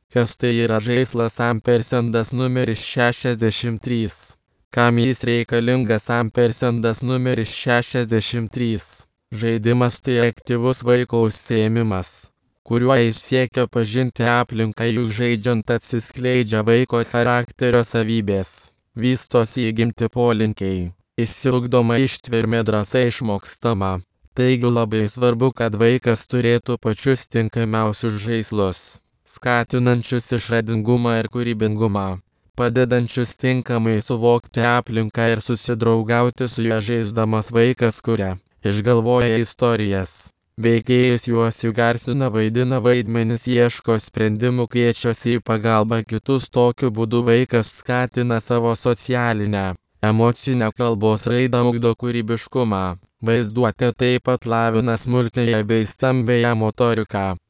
Kas tai yra žaislas ampersendas numeris 63? Kam jis reikalingas ampersendas numeris 63? Žaidimas tai aktyvus vaiko užsiėmimas, kuriuo jis siekia pažinti aplinką, juk žaidžiant atsiskleidžia vaiko charakterio savybės, vystosi įgimti polinkiai, išsiugdoma ištvermė, drąsa išmokstama. Taigi labai svarbu, kad vaikas turėtų pačius tinkamiausius žaislus, skatinančius išradingumą ir kūrybingumą, padedančius tinkamai suvokti aplinką ir susidraugauti su ja. Žaisdamas vaikas kuria, išgalvoja istorijas, veikėjus juos įgarsina, vaidina vaidmenis, ieško sprendimų, kviečiasi į pagalbą kitus. Tokiu būdu vaikas skatina savo socialinę, emocinę kalbos raidą, ugdo kūrybiškumą, vaizduotę, taip pat lavina smulkiąją bei stambiąją motoriką.